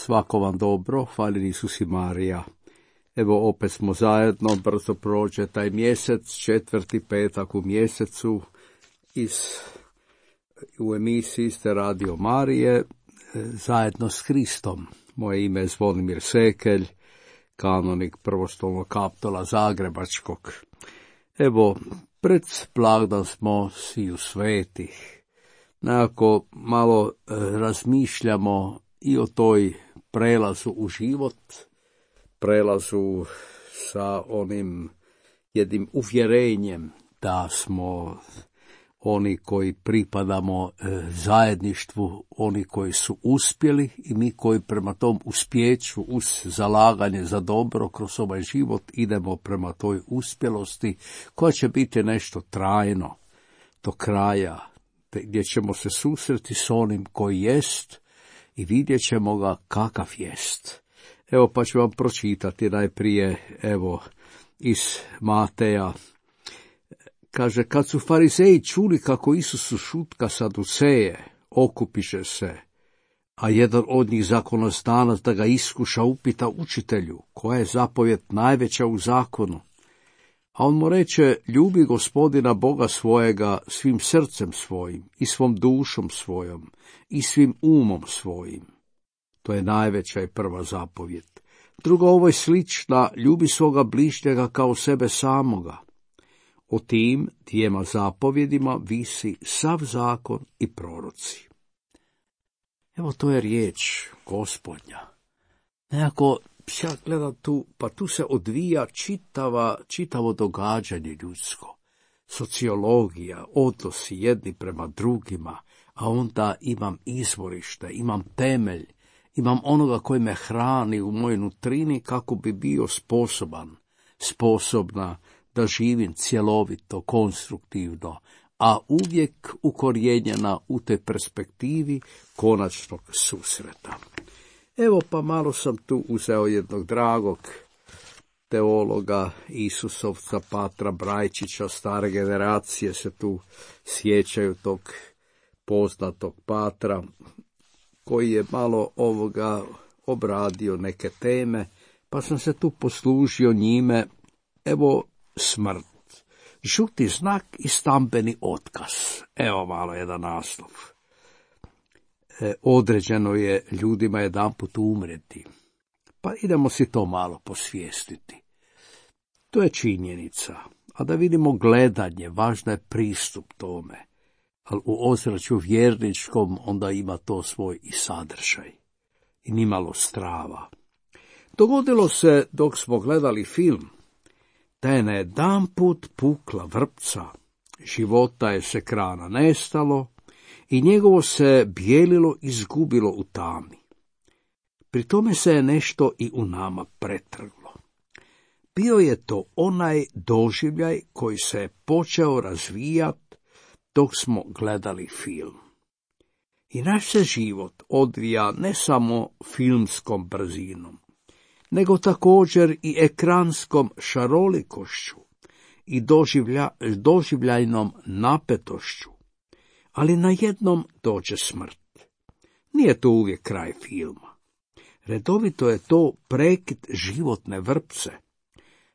svako vam dobro, hvala Isus i Marija. Evo opet smo zajedno, brzo prođe taj mjesec, 4. petak u mjesecu, u emisiji ste Radio Marije, zajedno s Hristom. Moje ime je Zvonimir Sekelj, kanonik prvostolnog kaptola Zagrebačkog. Evo, pred blagdan smo sviju svetih. Nekako malo razmišljamo i o toj prelazu u život, prelazu sa onim jednim uvjerenjem da smo oni koji pripadamo zajedništvu, oni koji su uspjeli i mi koji prema tom uspjeću uz zalaganje za dobro kroz ovaj život idemo prema toj uspjelosti koja će biti nešto trajno do kraja, gdje ćemo se susreti s onim koji jest i vidjet ćemo ga kakav jest. Evo pa ću vam pročitati najprije, evo, iz Mateja. Kaže, kad su farizeji čuli kako Isusu šutka saduceje, okupiše se, a jedan od njih zakonodavac da ga iskuša upita učitelju, koja je zapovjed najveća u zakonu? A on mu reče, ljubi Gospodina Boga svojega svim srcem svojim i svom dušom svojom i svim umom svojim. To je najveća i prva zapovjed. Druga ovo je slična, ljubi svoga bližnjega kao sebe samoga. O tim dvijema zapovjedima visi sav zakon i proroci. Evo to je riječ Gospodnja. Nekako ja gledam tu, pa tu se odvija čitavo događanje ljudsko. Sociologija, odnosi jedni prema drugima, a onda imam izvorište, imam temelj, imam onoga koji me hrani u mojoj nutrini kako bi bio sposobna da živim cjelovito, konstruktivno, a uvijek ukorijenjena u te perspektivi konačnog susreta. Evo pa malo sam tu uzeo jednog dragog teologa, Isusovca Patra Brajčića, stare generacije se tu sjećaju tog poznatog Patra, koji je malo obradio neke teme, pa sam se tu poslužio njime. Evo, smrt, žuti znak i stambeni otkaz. Evo malo jedan naslov. Određeno je ljudima jedanput umreti. Pa idemo si to malo posvijestiti. To je činjenica. A da vidimo gledanje, važno je pristup tome. Ali u ozračju vjerničkom onda ima to svoj i sadržaj. I nimalo strava. Dogodilo se dok smo gledali film, da je najedanput pukla vrpca, života je s ekrana nestalo i njegovo se bijelilo izgubilo u tami. Pri tome se je nešto i u nama pretrglo. Bio je to onaj doživljaj koji se je počeo razvijati dok smo gledali film. I naš se život odvija ne samo filmskom brzinom, nego također i ekranskom šarolikošću i doživljajnom napetošću, ali najednom dođe smrt. Nije to uvijek kraj filma. Redovito je to prekid životne vrpce.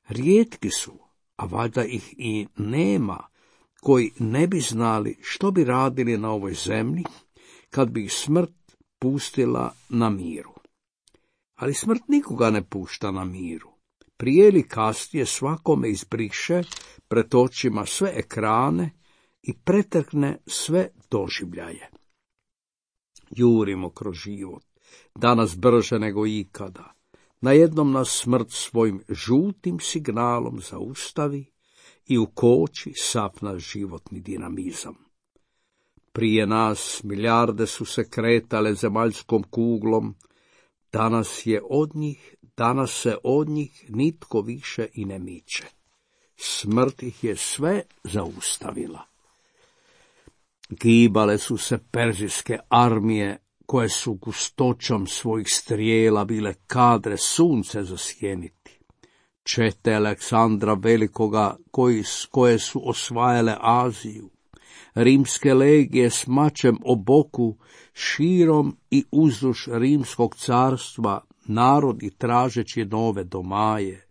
Rijetki su, a valjda ih i nema, koji ne bi znali što bi radili na ovoj zemlji kad bi ih smrt pustila na miru. Ali smrt nikoga ne pušta na miru. Prije ili kasnije svakome izbriše pred očima sve ekrane i pretrkne sve doživljaje. Jurimo kroz život, danas brže nego ikada. Najednom nas smrt svojim žutim signalom zaustavi i ukoči sav naš životni dinamizam. Prije nas milijarde su se kretale zemaljskom kuglom, danas se od njih nitko više i ne miče. Smrt ih je sve zaustavila. Gibale su se perzijske armije, koje su gustoćom svojih strijela bile kadre sunce zasjeniti. Čete Aleksandra Velikoga, koje su osvajale Aziju, Rimske legije s mačem o boku širom i uzduž rimskog carstva narodi tražeći nove domaje.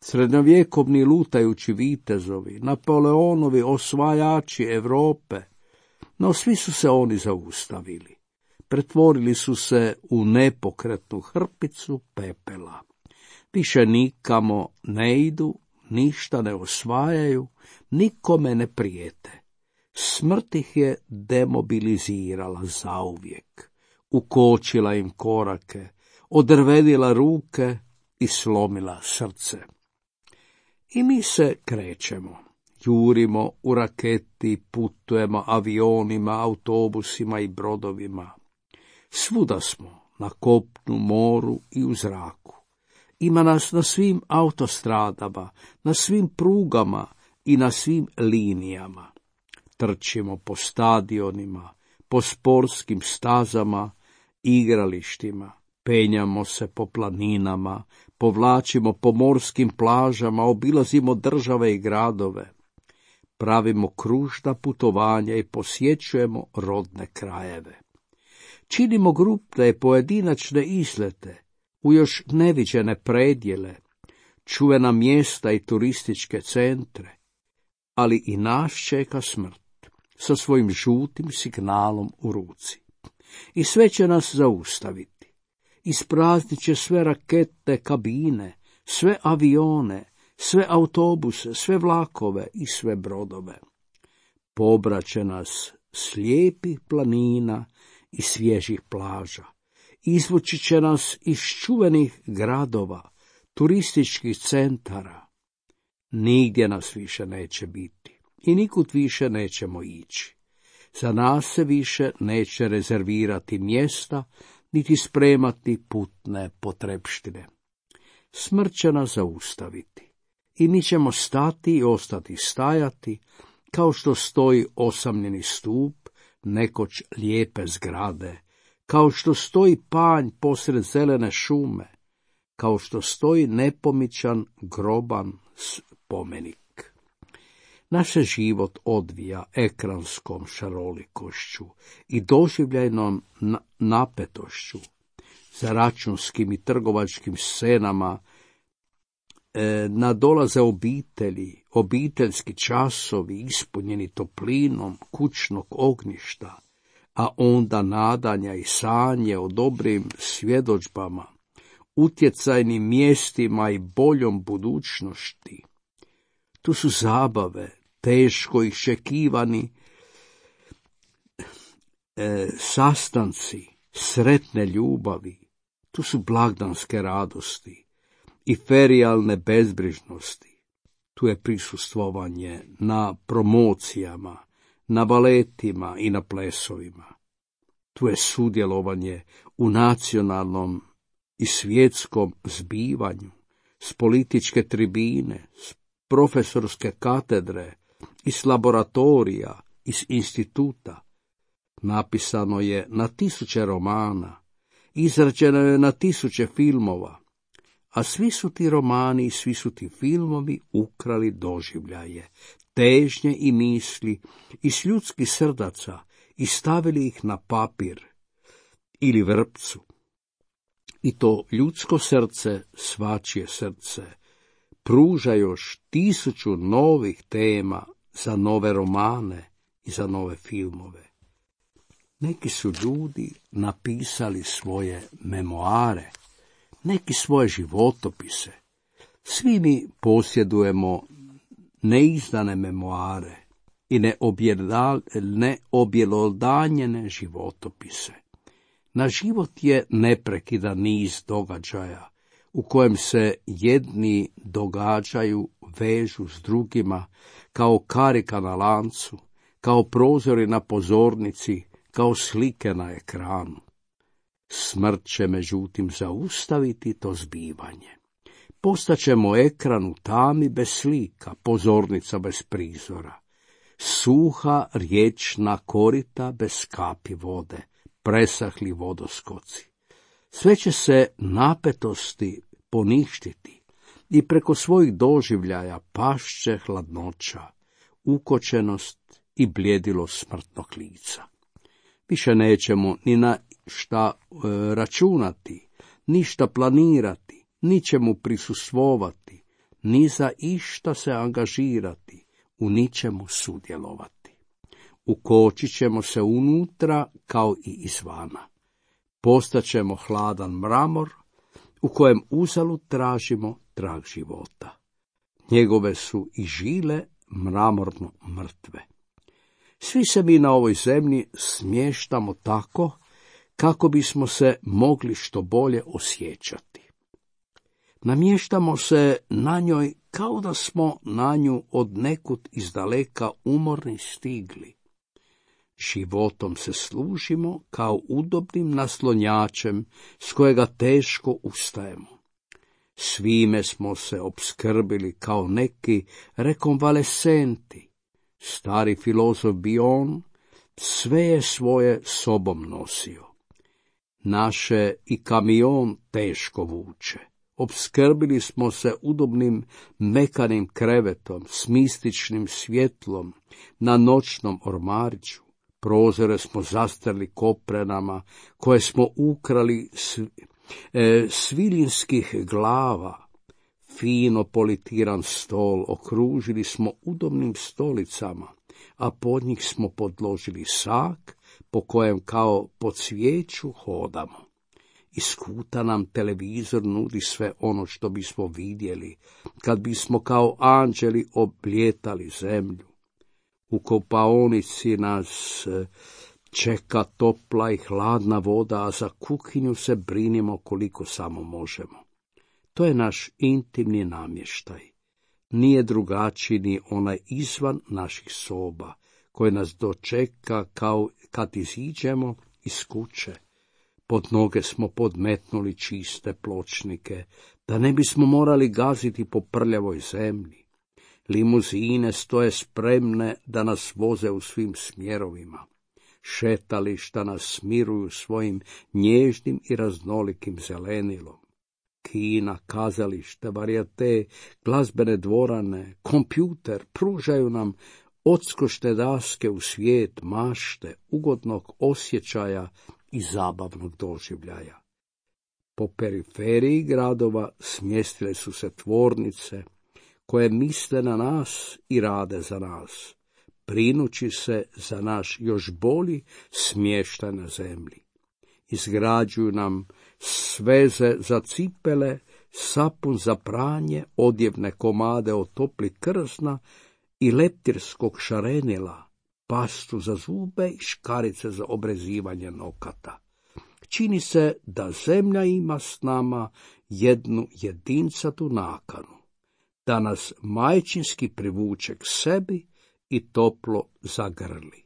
Srednjovjekovni lutajući vitezovi, Napoleonovi osvajači Europe, no svi su se oni zaustavili. Pretvorili su se u nepokretnu hrpicu pepela. Više nikamo ne idu, ništa ne osvajaju, nikome ne prijete. Smrt ih je demobilizirala zauvijek, ukočila im korake, odrvedila ruke i slomila srce. I mi se krećemo, jurimo u raketi, putujemo avionima, autobusima i brodovima. Svuda smo, na kopnu, moru i u zraku. Ima nas na svim autostradama, na svim prugama i na svim linijama. Trčimo po stadionima, po sportskim stazama, igralištima, penjamo se po planinama, povlačimo po morskim plažama, obilazimo države i gradove. Pravimo kružna putovanja i posjećujemo rodne krajeve. Činimo grupne pojedinačne izlete u još neviđene predjele, čuvena mjesta i turističke centre, ali i nas čeka smrt sa svojim žutim signalom u ruci. I sve će nas zaustaviti. Ispraznit će sve raketne kabine, sve avione, sve autobuse, sve vlakove i sve brodove. Pobraće nas slijepih planina i svježih plaža. Izvući će nas iz čuvenih gradova, turističkih centara. Nigdje nas više neće biti i nikud više nećemo ići. Za nas se više neće rezervirati mjesta, niti spremati putne potrepštine. Smrt će nas zaustaviti i mi ćemo stati i ostati stajati, kao što stoji osamljeni stup nekoć lijepe zgrade, kao što stoji panj posred zelene šume, kao što stoji nepomičan groban spomenik. Naš se život odvija ekranskom šarolikošću i doživljajnom napetošću, za računskim i trgovačkim scenama nadolaze obitelji, obiteljski časovi ispunjeni toplinom kućnog ognjišta, a onda nadanja i sanje o dobrim svjedodžbama, utjecajnim mjestima i boljom budućnosti. Tu su zabave, teško iščekivani sastanci, sretne ljubavi, tu su blagdanske radosti i ferijalne bezbrižnosti. Tu je prisustvovanje na promocijama, na baletima i na plesovima. Tu je sudjelovanje u nacionalnom i svjetskom zbivanju, s političke tribine, s profesorske katedre, iz laboratorija, iz instituta. Napisano je na 1000 romana, izrađeno je na 1000 filmova, a svi su ti romani i svi su ti filmovi ukrali doživljaje, težnje i misli iz ljudskih srdaca i stavili ih na papir ili vrpcu. I to ljudsko srce, svačije srce, pruža još 1000 novih tema za nove romane i za nove filmove. Neki su ljudi napisali svoje memoare, neki svoje životopise. Svi mi posjedujemo neizdane memoare i neobjelodanjene životopise. Na život je neprekidan niz događaja, u kojem se jedni događaju vežu s drugima, kao karika na lancu, kao prozori na pozornici, kao slike na ekranu. Smrt će međutim zaustaviti to zbivanje. Postaćemo ekran u tami bez slika, pozornica bez prizora, suha riječna korita bez kapi vode, presahli vodoskoci. Sve će se napetosti poništiti i preko svojih doživljaja pašće hladnoća, ukočenost i bljedilo smrtnog lica. Više nećemo ni na šta računati, ništa planirati, ničemu prisustvovati, ni za išta se angažirati, u ničemu sudjelovati. Ukočit ćemo se unutra kao i izvana. Postaćemo hladan mramor, u kojem uzalud tražimo trag života. Njegove su i žile mramorno mrtve. Svi se mi na ovoj zemlji smještamo tako, kako bismo se mogli što bolje osjećati. Namještamo se na njoj kao da smo na nju od nekud izdaleka umorni stigli. Životom se služimo kao udobnim naslonjačem s kojega teško ustajemo. Svime smo se opskrbili kao neki rekonvalesenti. Stari filozof Bion sve je svoje sobom nosio. Naše i kamion teško vuče. Opskrbili smo se udobnim mekanim krevetom, s mističnim svjetlom, na noćnom ormariću. Prozore smo zastrli koprenama, koje smo ukrali svilinskih glava. Fino politiran stol okružili smo udobnim stolicama, a pod njih smo podložili sak, po kojem kao po cvijeću hodamo. Iz kuta nam televizor nudi sve ono što bismo vidjeli, kad bismo kao anđeli oblijetali zemlju. U kopaonici nas čeka topla i hladna voda, a za kuhinju se brinimo koliko samo možemo. To je naš intimni namještaj. Nije drugačiji ni onaj izvan naših soba, koji nas dočeka kao kad iziđemo iz kuće. Pod noge smo podmetnuli čiste pločnike, da ne bismo morali gaziti po prljavoj zemlji. Limuzine stoje spremne da nas voze u svim smjerovima. Šetališta nas smiruju svojim nježnim i raznolikim zelenilom. Kina, kazalište, varijete, glazbene dvorane, kompjuter pružaju nam odskočne daske u svijet mašte, ugodnog osjećaja i zabavnog doživljaja. Po periferiji gradova smjestile su se tvornice koje misle na nas i rade za nas, brinući se za naš još bolji smještaj na zemlji. Izgrađuju nam sveze za cipele, sapun za pranje, odjevne komade od topli krsna i leptirskog šarenila, pastu za zube i škarice za obrezivanje nokata. Čini se da zemlja ima s nama jednu jedinsatu nakanu, da nas majčinski privuče k sebi i toplo zagrli.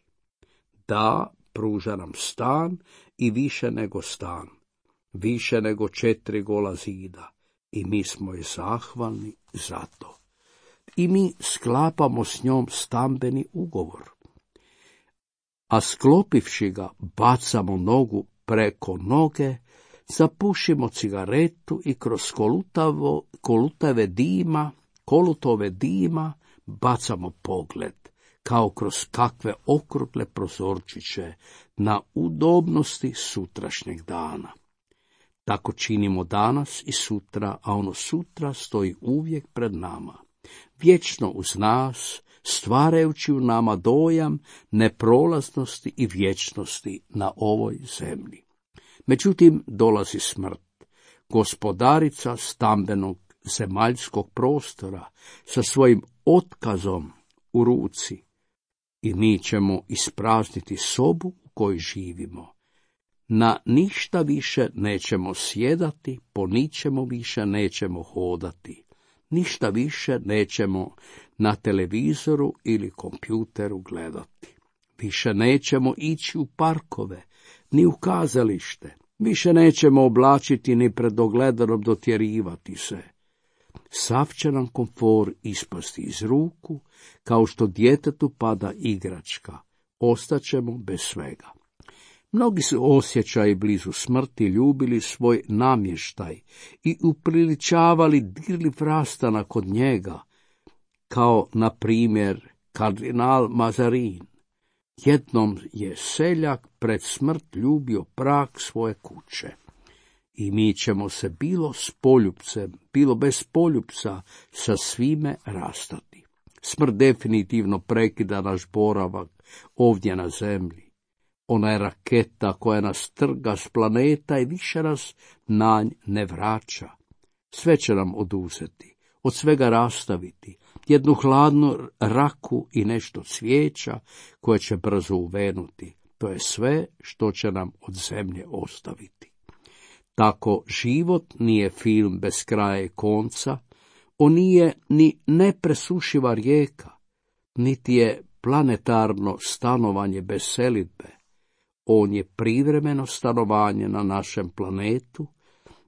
Da, pruža nam stan i više nego stan, više nego 4 gola zida, i mi smo joj zahvalni za to. I mi sklapamo s njom stambeni ugovor, a sklopivši ga bacamo nogu preko noge, zapušimo cigaretu i kroz kolutove dima bacamo pogled, kao kroz kakve okrugle prozorčiće, na udobnosti sutrašnjeg dana. Tako činimo danas i sutra, a ono sutra stoji uvijek pred nama, vječno uz nas, stvarajući u nama dojam neprolaznosti i vječnosti na ovoj zemlji. Međutim, dolazi smrt, gospodarica stambenog zemaljskog prostora, sa svojim otkazom u ruci, i mi ćemo isprazniti sobu u kojoj živimo. Na ništa više nećemo sjedati, po ničemu više nećemo hodati, ništa više nećemo na televizoru ili kompjuteru gledati. Više nećemo ići u parkove, ni u kazalište, više nećemo oblačiti ni pred ogledanom dotjerivati se. Sav će nam komfor ispasti iz ruku, kao što djetetu pada igračka, ostaćemo bez svega. Mnogi su osjećaji blizu smrti ljubili svoj namještaj i upriličavali dirljiv rastanak od njega, kao, na primjer, kardinal Mazarin. Jednom je seljak pred smrt ljubio prag svoje kuće. I mi ćemo se bilo s poljupcem, bilo bez poljupca sa svime rastati. Smrt definitivno prekida naš boravak ovdje na zemlji. Ona je raketa koja nas trga s planeta i više nas na nj ne vraća. Sve će nam oduzeti, od svega rastaviti, jednu hladnu raku i nešto cvijeća koje će brzo uvenuti. To je sve što će nam od zemlje ostaviti. Tako život nije film bez kraja i konca, on nije ni nepresušiva rijeka, niti je planetarno stanovanje bez selidbe. On je privremeno stanovanje na našem planetu,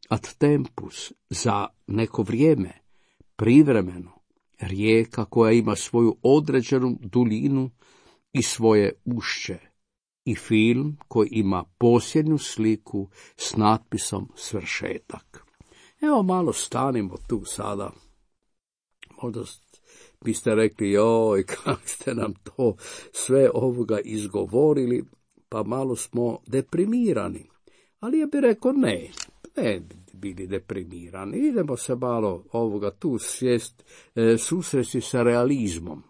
ad tempus, za neko vrijeme, privremeno, rijeka koja ima svoju određenu duljinu i svoje ušće, i film koji ima posljednju sliku s natpisom svršetak. Evo malo stanimo tu sada. Možda biste rekli, joj, kako ste nam to sve ovoga izgovorili, pa malo smo deprimirani. Ali ja bih rekao ne bili deprimirani. Idemo se malo ovoga tu susresti sa realizmom.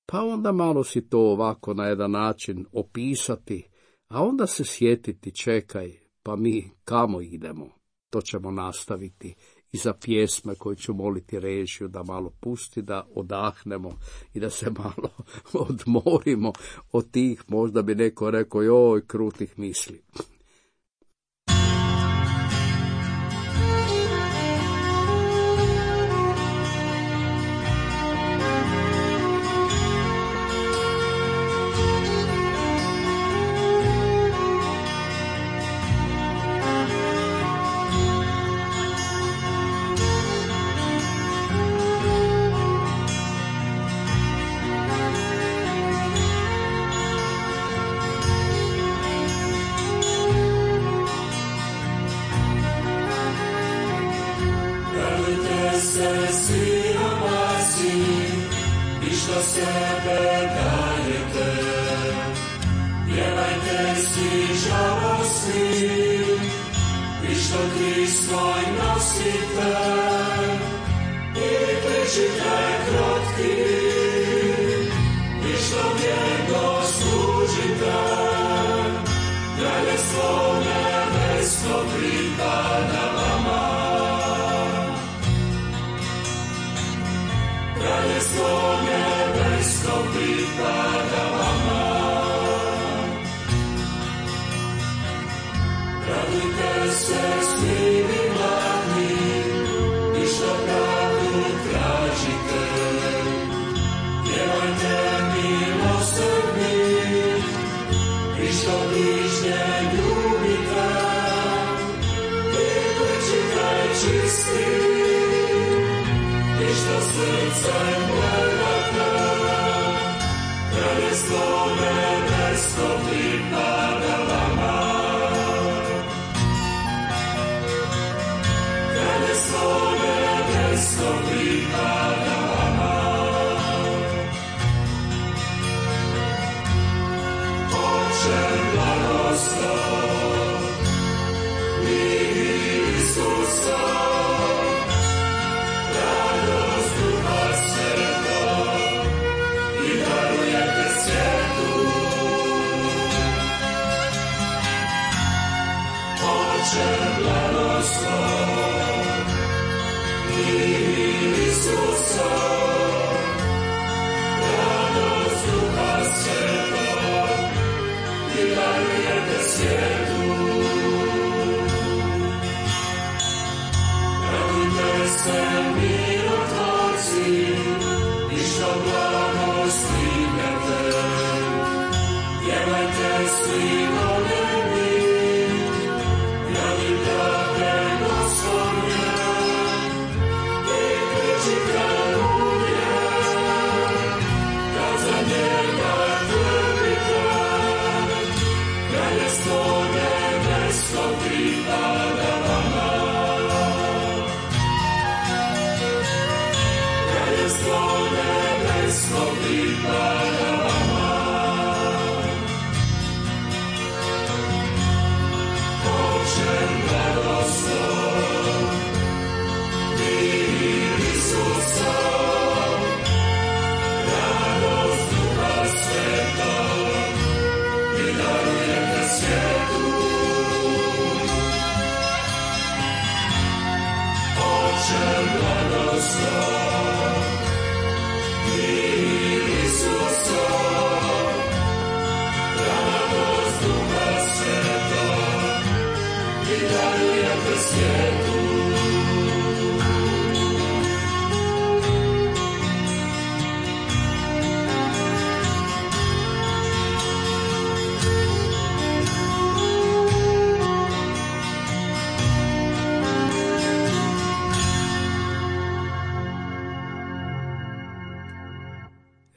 Pa onda malo si to ovako na jedan način opisati, a onda se sjetiti, čekaj, pa mi kamo idemo? To ćemo nastaviti i za pjesme koje ću moliti režiju da malo pusti, da odahnemo i da se malo odmorimo od tih, možda bi neko rekao, joj, krutih misli.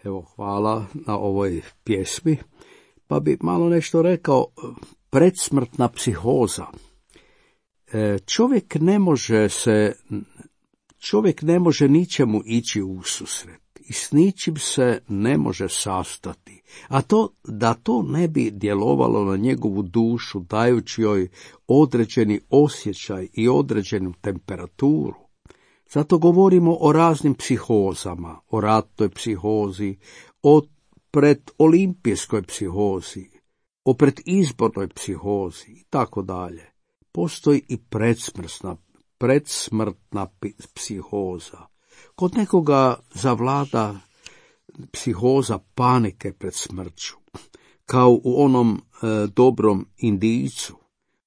Evo, hvala na ovoj pjesmi. Pa bi malo nešto rekao, predsmrtna psihoza. Čovjek ne može ničemu ići u susret i s ničim se ne može sastati, a da to ne bi djelovalo na njegovu dušu, dajući joj određeni osjećaj i određenu temperaturu. Zato govorimo o raznim psihozama, o ratnoj psihozi, o predolimpijskoj psihozi, o predizbornoj psihozi i tako dalje. Postoji i predsmrtna psihoza. Kod nekoga zavlada psihoza panike pred smrću, kao u onom dobrom Indijcu,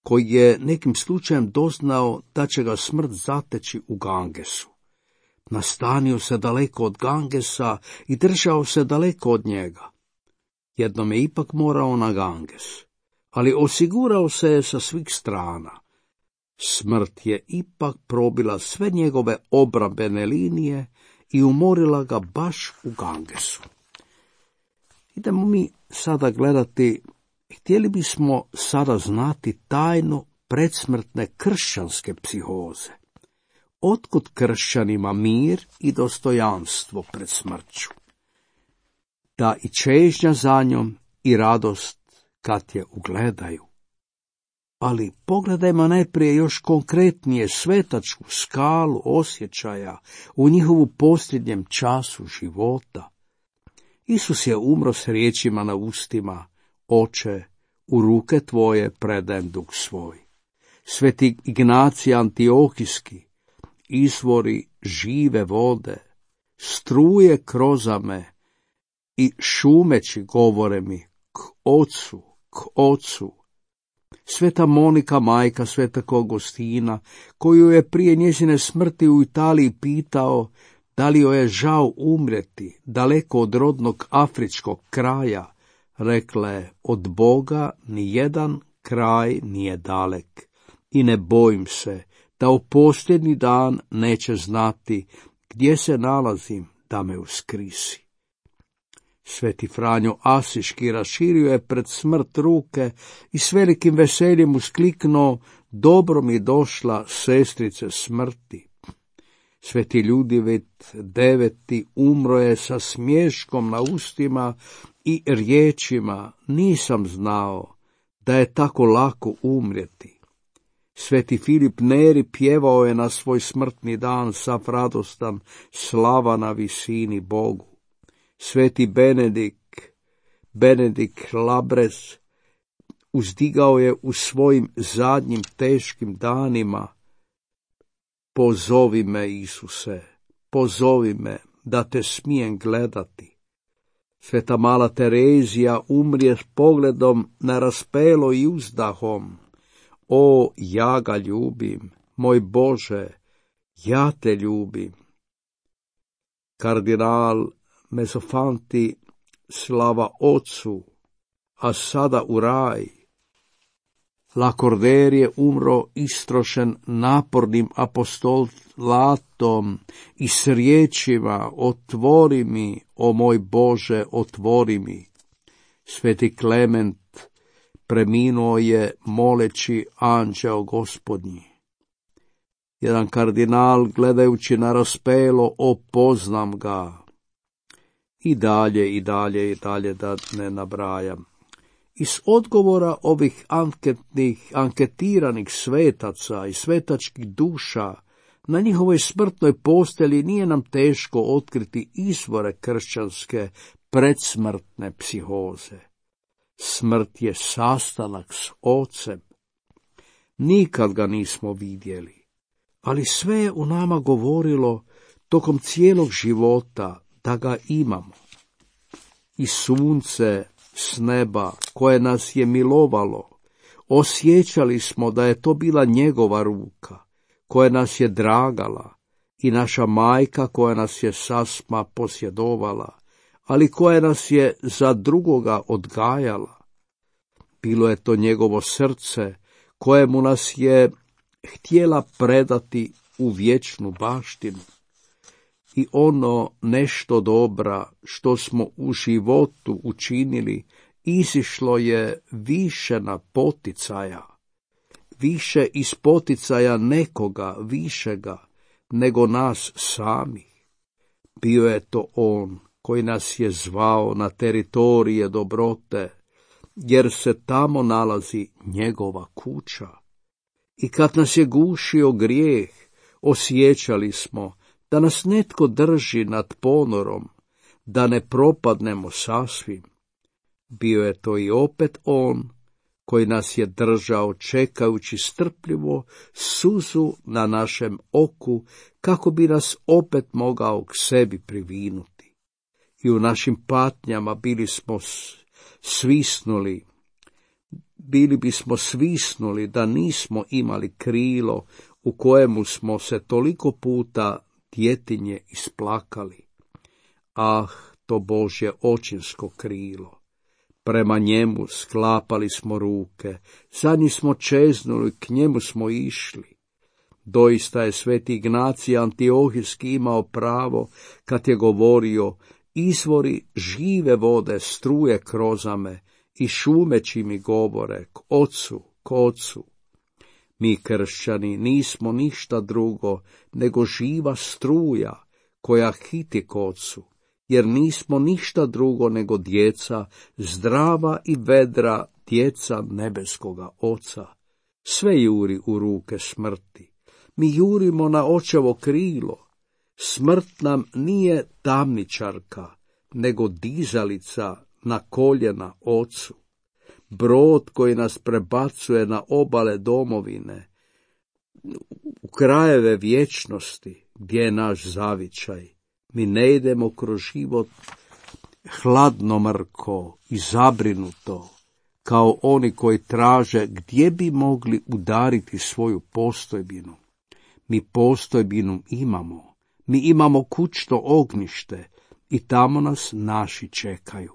koji je nekim slučajem doznao da će ga smrt zateći u Gangesu. Nastanio se daleko od Gangesa i držao se daleko od njega. Jednom je ipak morao na Ganges, ali osigurao se je sa svih strana. Smrt je ipak probila sve njegove obrambene linije i umorila ga baš u Gangesu. Idemo mi sada gledati, htjeli bismo sada znati tajnu predsmrtne kršćanske psihoze. Otkud kršćanima mir i dostojanstvo pred smrću? Da i čežnja za njom i radost kad je ugledaju. Ali pogledajmo najprije još konkretnije svetačku skalu osjećaja u njihovu posljednjem času života. Isus je umro s riječima na ustima: Oče, u ruke tvoje predajem duh svoj. Sveti Ignacij Antiohijski: izvori žive vode, struje krozame i šumeći govore mi: k Ocu, k Ocu. Sveta Monika, majka svetog Augustina, koju je prije njezine smrti u Italiji pitao da li joj je žao umreti daleko od rodnog afričkog kraja, rekla je: od Boga ni jedan kraj nije dalek i ne bojim se da u posljednji dan neće znati gdje se nalazim da me uskrisi. Sveti Franjo Asiški raširio je pred smrt ruke i s velikim veseljem uskliknuo: dobro mi došla, sestrice smrti. Sveti Ljudevit IX umro je sa smješkom na ustima i riječima: nisam znao da je tako lako umrijeti. Sveti Filip Neri pjevao je na svoj smrtni dan sav radostan: slava na visini Bogu. Sveti Benedikt Labres uzdigao je u svojim zadnjim teškim danima: pozovi me, Isuse, pozovi me da te smijem gledati. Sveta Mala Terezija umrije s pogledom na raspelo i uzdahom: o, ja ga ljubim, moj Bože, ja te ljubim. Kardinal Mezofanti: slava Ocu, a sada u raj. Lakordaire je umro istrošen napornim apostolatom i s riječima: otvori mi, o moj Bože, otvori mi. Sveti Klement preminuo je moleći anđeo Gospodnji. Jedan kardinal, gledajući na raspelo: o, poznam ga. I dalje da ne nabrajam. Iz odgovora ovih anketiranih svetaca i svetačkih duša na njihovoj smrtnoj postelji nije nam teško otkriti izvore kršćanske predsmrtne psihoze. Smrt je sastanak s Ocem. Nikad ga nismo vidjeli, ali sve je u nama govorilo: tokom cijelog života da ga imamo. I sunce s neba koje nas je milovalo, osjećali smo da je to bila njegova ruka, koja nas je dragala, i naša majka koja nas je sasma posjedovala, ali koja nas je za drugoga odgajala. Bilo je to njegovo srce kojemu nas je htjela predati u vječnu baštinu. I ono nešto dobra što smo u životu učinili izišlo je više na poticaja, više iz poticaja nekoga višega nego nas samih. Bio je to on koji nas je zvao na teritorije dobrote, jer se tamo nalazi njegova kuća. I kad nas je gušio grijeh, osjećali smo da nas netko drži nad ponorom, da ne propadnemo sasvim. Bio je to i opet on koji nas je držao čekajući strpljivo suzu na našem oku, kako bi nas opet mogao k sebi privinuti. I u našim patnjama bili bismo svisnuli da nismo imali krilo u kojemu smo se toliko puta djetinje isplakali. Ah, to Božje očinsko krilo! Prema njemu sklapali smo ruke, za njim smo čeznuli, k njemu smo išli. Doista je sveti Ignacij Antiohijski imao pravo kad je govorio: izvori žive vode struje kroz me i šumeći mi govore k ocu. Mi kršćani nismo ništa drugo nego živa struja koja hiti k ocu, jer nismo ništa drugo nego djeca, zdrava i vedra djeca nebeskoga Oca. Sve juri u ruke smrti. Mi jurimo na očevo krilo. Smrt nam nije tamničarka, nego dizalica na koljena Ocu. Brod koji nas prebacuje na obale domovine, u krajeve vječnosti, gdje je naš zavičaj. Mi ne idemo kroz život hladnomrko i zabrinuto, kao oni koji traže gdje bi mogli udariti svoju postojbinu. Mi postojbinu imamo, mi imamo kućno ognjište i tamo nas naši čekaju.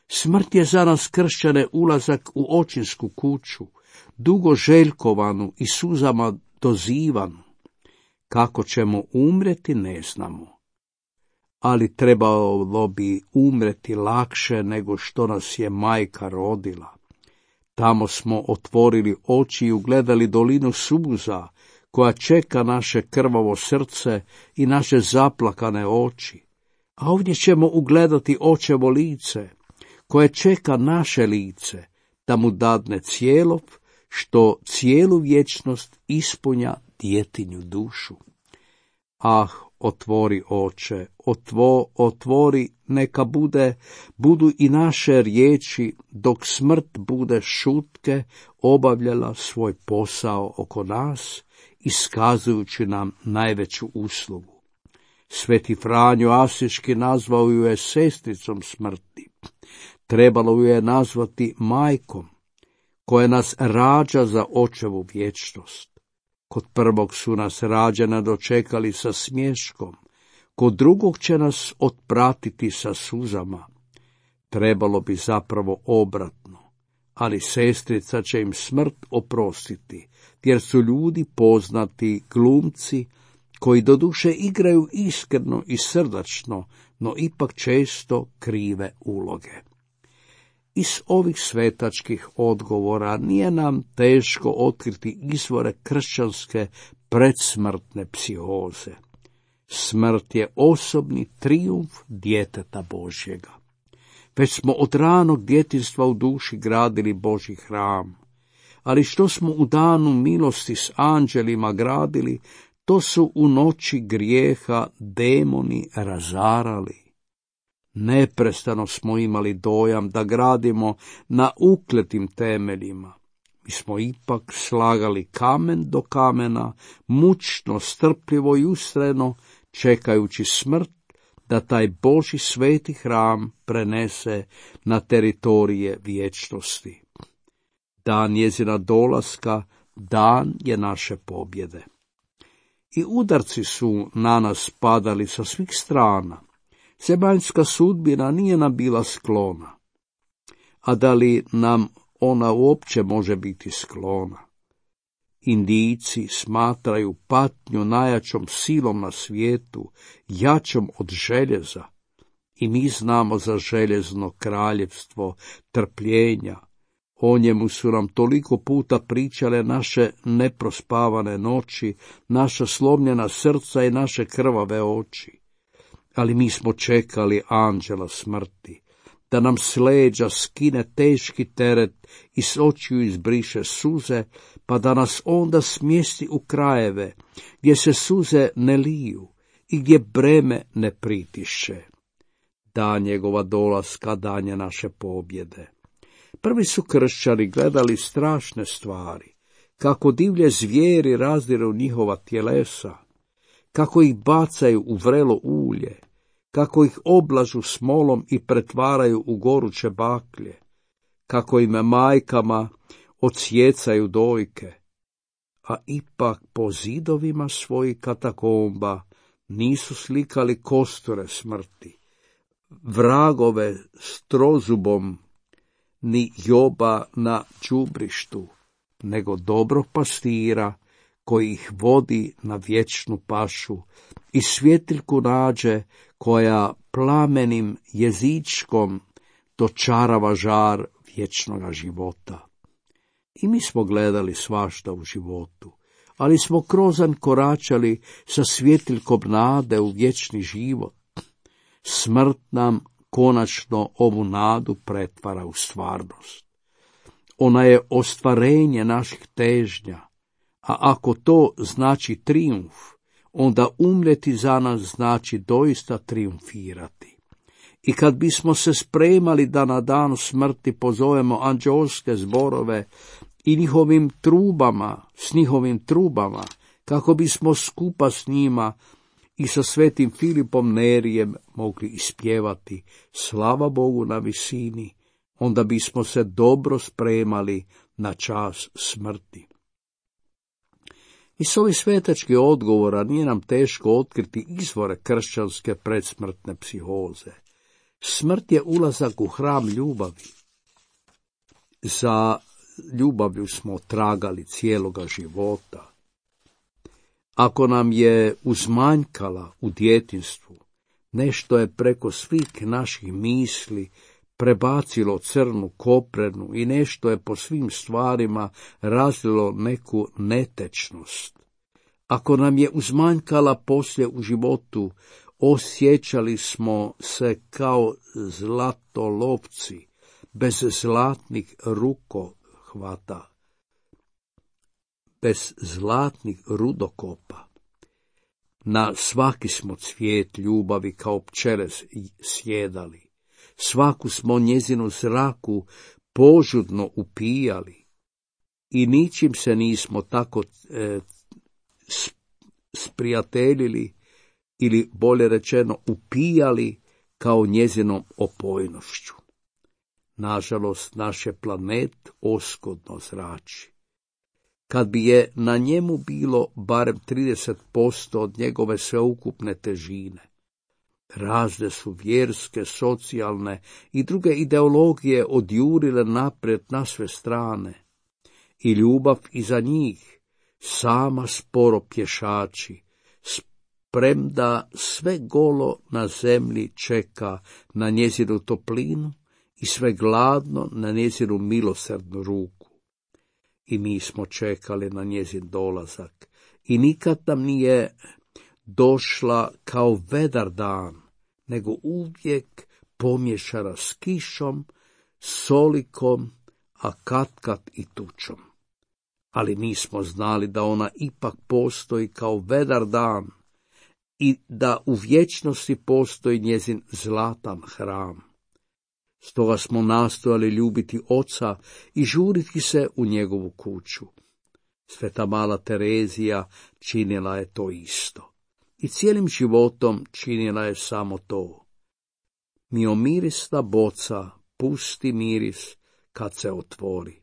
Smrt je za nas kršćane ulazak u očinsku kuću, dugo željkovanu i suzama dozivanu. Kako ćemo umreti ne znamo, ali trebalo bi umreti lakše nego što nas je majka rodila. Tamo smo otvorili oči i ugledali dolinu suza, koja čeka naše krvavo srce i naše zaplakane oči. A ovdje ćemo ugledati očevo lice, koje čeka naše lice, da mu dadne cijelov, što cijelu vječnost ispunja djetinju dušu. Ah, otvori oče, otvori, neka budu i naše riječi, dok smrt bude šutke obavljala svoj posao oko nas, iskazujući nam najveću uslugu. Sveti Franjo Asiški nazvao ju je sestricom smrti. Trebalo ju je nazvati majkom, koja nas rađa za očevu vječnost. Kod prvog su nas rađana dočekali sa smješkom, kod drugog će nas otpratiti sa suzama. Trebalo bi zapravo obratno, ali sestrica će im smrt oprostiti, jer su ljudi poznati glumci, koji doduše igraju iskreno i srdačno, no ipak često krive uloge. Iz ovih svetačkih odgovora nije nam teško otkriti izvore kršćanske predsmrtne psihoze. Smrt je osobni trijumf djeteta Božjega. Već smo od ranog djetinjstva u duši gradili Božji hram, ali što smo u danu milosti s anđelima gradili, to su u noći grijeha demoni razarali. Neprestano smo imali dojam da gradimo na ukletim temeljima. Mi smo ipak slagali kamen do kamena, mučno, strpljivo i ustrajno, čekajući smrt da taj Božji sveti hram prenese na teritorije vječnosti. Dan njezina dolaska, dan je naše pobjede. I udarci su na nas padali sa svih strana. Zemaljska sudbina nije nam bila sklona. A da li nam ona uopće može biti sklona? Indijci smatraju patnju najjačom silom na svijetu, jačom od željeza. I mi znamo za željezno kraljevstvo trpljenja. O njemu su nam toliko puta pričale naše neprospavane noći, naša slomljena srca i naše krvave oči. Ali mi smo čekali anđela smrti, da nam s leđa skine teški teret i s očiju izbriše suze, pa da nas onda smjesti u krajeve, gdje se suze ne liju i gdje breme ne pritišće. Dan njegova dolaska, dan je naše pobjede. Prvi su kršćani gledali strašne stvari, kako divlje zvijeri razdiru njihova tjelesa, kako ih bacaju u vrelo ulje, kako ih oblažu smolom i pretvaraju u goruće baklje, kako im majkama odsjecaju dojke, a ipak po zidovima svojih katakomba nisu slikali kosture smrti, vragove s trozubom, ni Joba na đubrištu, nego dobrog pastira koji ih vodi na vječnu pašu i svjetiljku nađe koja plamenim jezičkom dočarava žar vječnoga života. I mi smo gledali svašta u životu, ali smo krozan koračali sa svjetiljkom nade u vječni život. Smrt nam konačno ovu nadu pretvara u stvarnost. Ona je ostvarenje naših težnja, a ako to znači trijumf, onda umreti za nas znači doista triumfirati. I kad bismo se spremali da na dan smrti pozovemo anđeoske zborove i s njihovim trubama, kako bismo skupa s njima i sa svetim Filipom Nerijem mogli ispjevati slava Bogu na visini, onda bismo se dobro spremali na čas smrti. Iz ovih svetačkih odgovora nije nam teško otkriti izvore kršćanske predsmrtne psihoze. Smrt je ulazak u hram ljubavi. Za ljubavlju smo tragali cijeloga života. Ako nam je uzmanjkala u djetinjstvu, nešto je preko svih naših misli prebacilo crnu koprenu i nešto je po svim stvarima razlilo neku netečnost. Ako nam je uzmanjkala poslije u životu, osjećali smo se kao zlatolovci, bez zlatnih rukohvata, bez zlatnih rudokopa. Na svaki smo cvijet ljubavi kao pčele sjedali, svaku smo njezinu zraku požudno upijali i ničim se nismo tako sprijateljili ili bolje rečeno upijali kao njezinom opojnošću. Nažalost, naš je planet oskudno zrači. Kad bi je na njemu bilo barem 30% od njegove sveukupne težine, razne su vjerske, socijalne i druge ideologije odjurile naprijed na sve strane i ljubav iza njih sama sporo pješači, premda sve golo na zemlji čeka na njezinu toplinu i sve gladno na njezinu milosrdnu ruku. I mi smo čekali na njezin dolazak i nikad nam nije došla kao vedar dan, nego uvijek pomješana s kišom, solikom, a katkad i tučom. Ali mi smo znali da ona ipak postoji kao vedar dan i da u vječnosti postoji njezin zlatan hram. Stoga smo nastojali ljubiti oca i žuriti se u njegovu kuću. Sveta mala Terezija činila je to isto. i cijelim životom činila je samo to. Miomirisna boca pusti miris kad se otvori.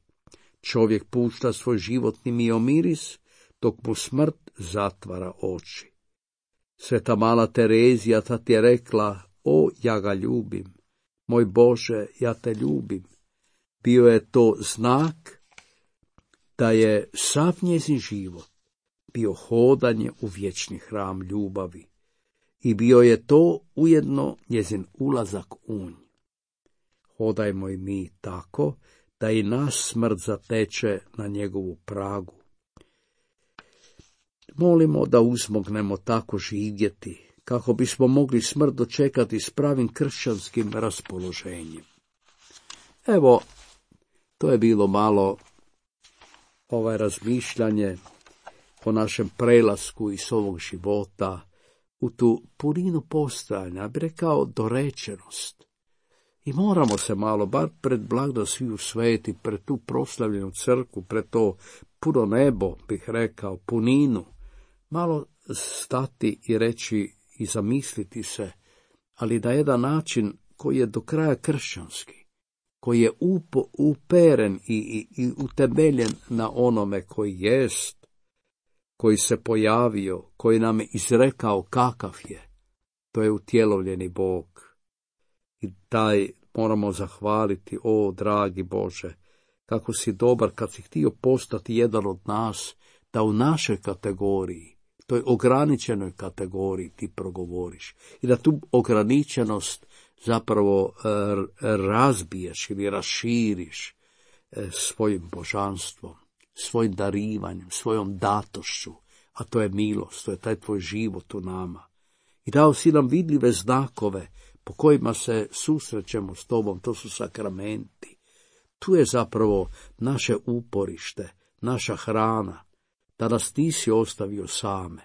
Čovjek pušta svoj životni miomiris, dok mu smrt zatvara oči. Sveta mala Terezija tad je rekla, o, ja ga ljubim, moj Bože, ja te ljubim. Bio je to znak da je sav njezin život bio hodanje u vječni hram ljubavi i bio je to ujedno njezin ulazak u nj. Hodajmo i mi tako da i naš smrt zateče na njegovu pragu. Molimo da uzmognemo tako živjeti, kako bismo mogli smrt dočekati s pravim kršćanskim raspoloženjem. Evo, to je bilo malo razmišljanje o našem prelasku iz ovog života u tu puninu postojanja, bi rekao dorečenost. I moramo se malo, bar pred blagdan sviju sveti, pred tu proslavljenu crkvu, pred to puno nebo, bih rekao, puninu, malo stati i reći i zamisliti se, ali na jedan način koji je do kraja kršćanski, koji je uperen i utemeljen na onome koji jest, koji se pojavio, koji nam je izrekao kakav je, to je utjelovljeni Bog. I taj moramo zahvaliti, o dragi Bože, kako si dobar kad si htio postati jedan od nas, da u našoj kategoriji, toj ograničenoj kategoriji ti progovoriš i da tu ograničenost zapravo razbiješ ili raširiš svojim božanstvom, svojim darivanjem, svojom datošću, a to je milost, to je taj tvoj život u nama. I dao si nam vidljive znakove po kojima se susrećemo s tobom, to su sakramenti. Tu je zapravo naše uporište, naša hrana, da nas nisi ostavio same.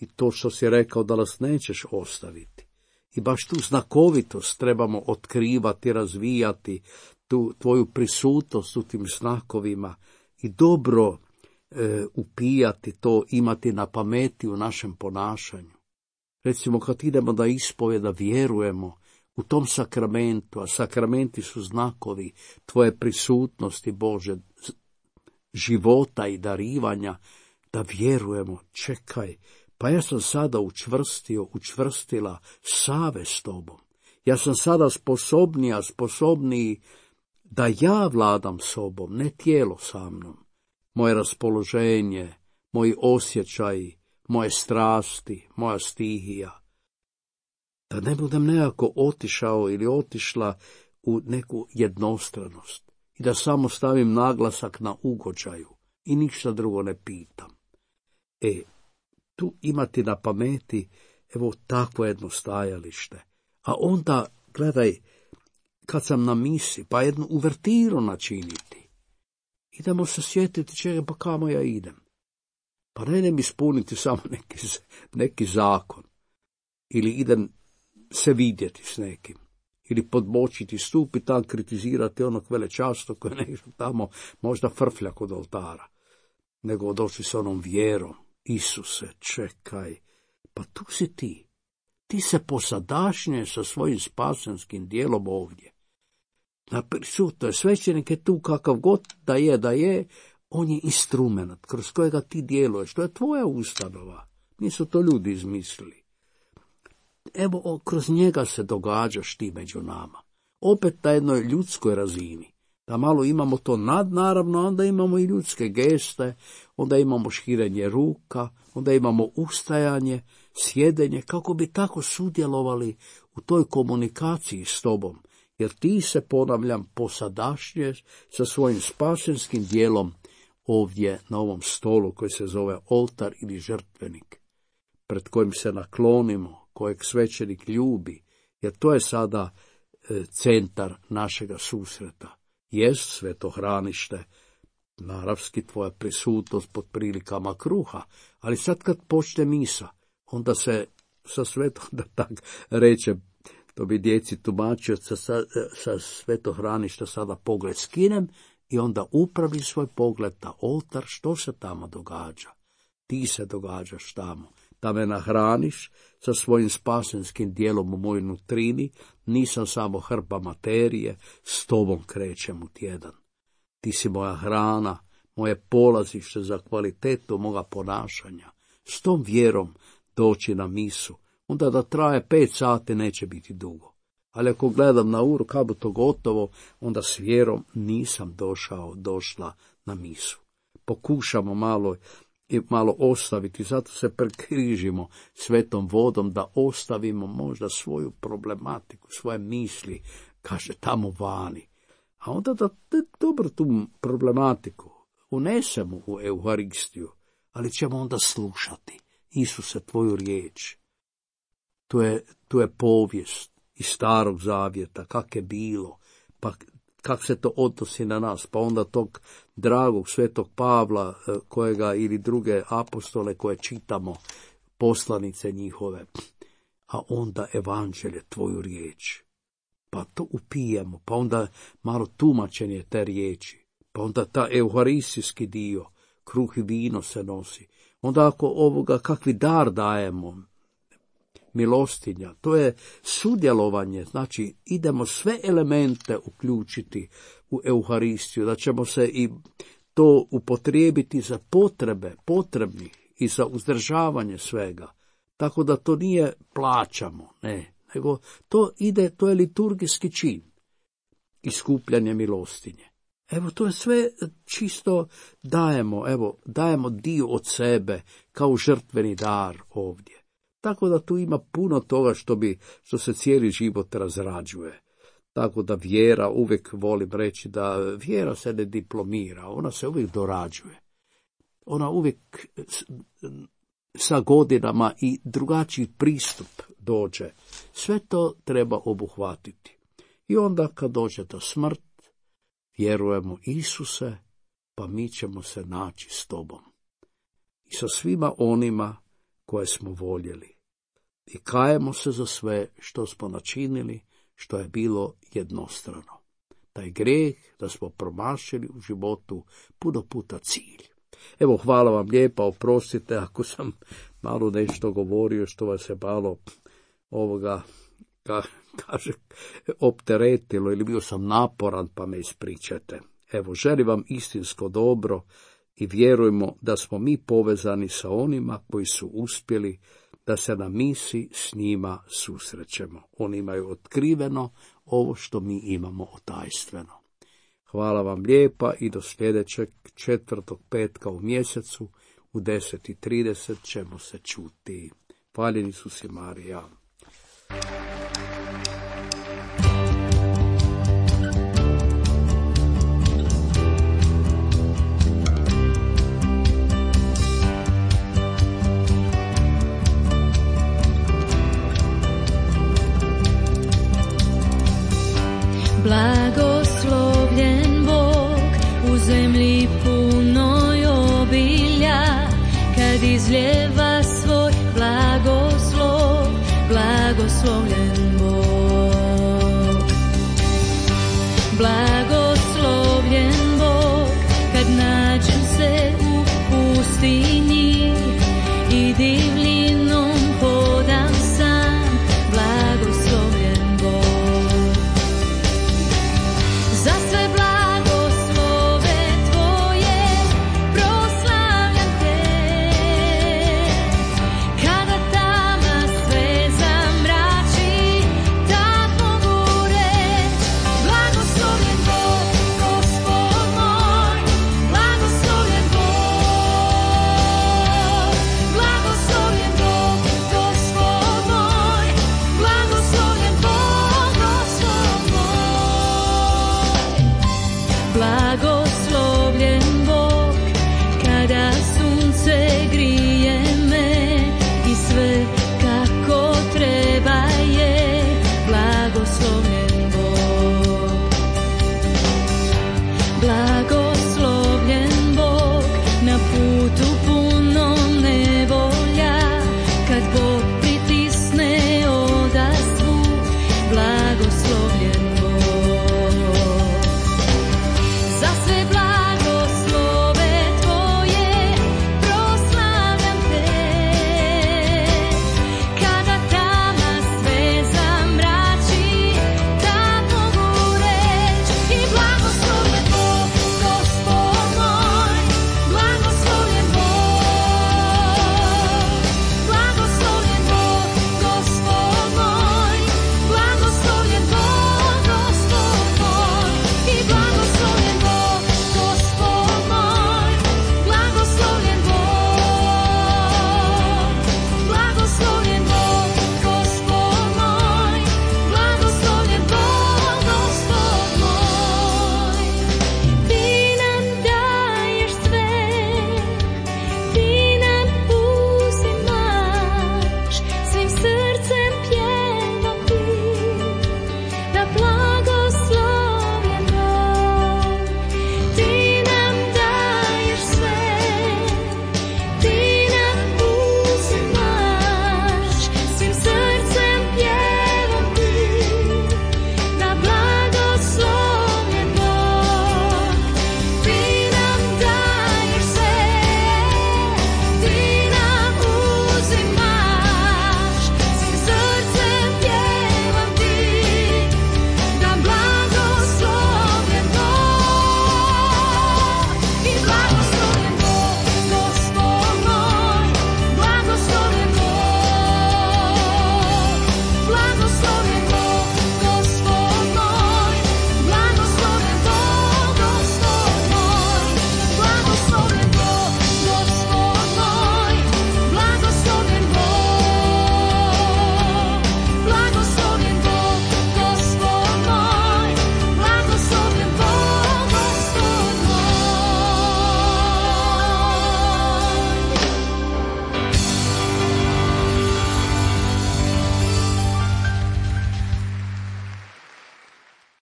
I to što si rekao da nas nećeš ostaviti. I baš tu znakovitost trebamo otkrivati, razvijati, tu tvoju prisutnost u tim znakovima i dobro upijati to, imati na pameti u našem ponašanju. Recimo kad idemo da ispovjeda, vjerujemo u tom sakramentu, a sakramenti su znakovi tvoje prisutnosti, Bože, života i darivanja, da vjerujemo, čekaj, pa ja sam sada učvrstila save s tobom. Ja sam sada sposobniji da ja vladam sobom, ne tijelo sa mnom. Moje raspoloženje, moji osjećaji, moje strasti, moja stihija. Da ne budem nekako otišao ili otišla u neku jednostranost i da samo stavim naglasak na ugođaju i ništa drugo ne pitam. Tu imati na pameti, evo takvo jedno stajalište. A onda, gledaj, kad sam na misi, pa jednu uvertiru načiniti. Idemo se sjetiti čega, pa kamo ja idem. Pa ne idem ispuniti samo neki zakon. Ili idem se vidjeti s nekim. Ili podbočiti stup i tam kritizirati onog velečasto koji ne išao tamo možda frflja kod oltara. Nego došli s onom vjerom. Isuse, čekaj, pa tu si ti. Ti se posadašnješ sa svojim spasenskim dijelom ovdje. Naprisutno je, svećenik je tu kakav god da je, on je instrument kroz kojega ti djeluješ. To je tvoja ustanova. Nisu to ljudi izmislili. Evo, kroz njega se događaš ti među nama. Opet na jednoj ljudskoj razini. Da malo imamo to nadnaravno, onda imamo i ljudske geste, onda imamo širenje ruka, onda imamo ustajanje, sjedenje, kako bi tako sudjelovali u toj komunikaciji s tobom. Jer ti se, ponavljam, posadašnješ sa svojim spasenskim dijelom ovdje na ovom stolu koji se zove oltar ili žrtvenik, pred kojim se naklonimo, kojeg svećenik ljubi, jer to je sada centar našega susreta. Jest svetohranište, naravski tvoja prisutnost pod prilikama kruha, ali sad kad počne misa, onda se sa svetom, da tak reče, to bi djeci tumačio, sa svetohraništa sada pogled skinem i onda upravi svoj pogled na oltar, što se tamo događa. Ti se događaš tamo, da me nahraniš sa svojim spasenskim dijelom u mojoj nutrini, nisam samo hrpa materije, s tobom krećem u tjedan. Ti si moja hrana, moje polazište za kvalitetu moga ponašanja. S tom vjerom doći na misu, onda da traje 5 sati neće biti dugo. Ali ako gledam na uru kako to gotovo, onda s vjerom nisam došla na misu. Pokušamo malo ostaviti, zato se prekrižimo svetom vodom da ostavimo možda svoju problematiku, svoje misli, kaže tamo vani. A onda da dobro tu problematiku unesemo u Euharistiju, ali ćemo onda slušati. Isuse, tvoju riječ. To je povijest iz Starog Zavjeta, kak je bilo, pa kako se to odnosi na nas, pa onda tog dragog svetog Pavla, kojega ili druge apostole koje čitamo, poslanice njihove, a onda evanđelje, tvoju riječ. Pa to upijemo, pa onda malo tumačenje te riječi, pa onda ta euharistijski dio, kruh i vino se nosi. Onda ako kakvi dar dajemo, milostinja, to je sudjelovanje, znači idemo sve elemente uključiti u Euharistiju, da ćemo se i to upotrijebiti za potrebe potrebnih i za uzdržavanje svega. Tako da to nije plaćamo, ne, nego to je liturgijski čin, iskupljanje milostinje. Evo, to je sve čisto dajemo dio od sebe kao žrtveni dar ovdje. Tako da tu ima puno toga što se cijeli život razrađuje. Tako da vjera, uvijek volim reći da vjera se ne diplomira, ona se uvijek dorađuje. Ona uvijek sa godinama i drugačiji pristup dođe. Sve to treba obuhvatiti. I onda kad dođe ta smrt, vjerujemo Isuse, pa mi ćemo se naći s tobom. I sa svima onima koje smo voljeli. I kajemo se za sve što smo načinili, što je bilo jednostrano. Taj grijeh da smo promašili u životu puno puta cilj. Evo, hvala vam lijepa, oprostite ako sam malo nešto govorio što vas je malo opteretilo ili bio sam naporan, pa me ispričajte. Evo, želim vam istinsko dobro i vjerujemo da smo mi povezani sa onima koji su uspjeli da se na misi s njima susrećemo. Oni imaju otkriveno ovo što mi imamo otajstveno. Hvala vam lijepa i do sljedećeg 4. petka u mjesecu u 10:30 ćemo se čuti. Hvaljeni Isus i Marija. Blagoslovljen Bog u zemlji punoj obilja, kad izljeva svoj blagoslov, blagoslovljen Bog.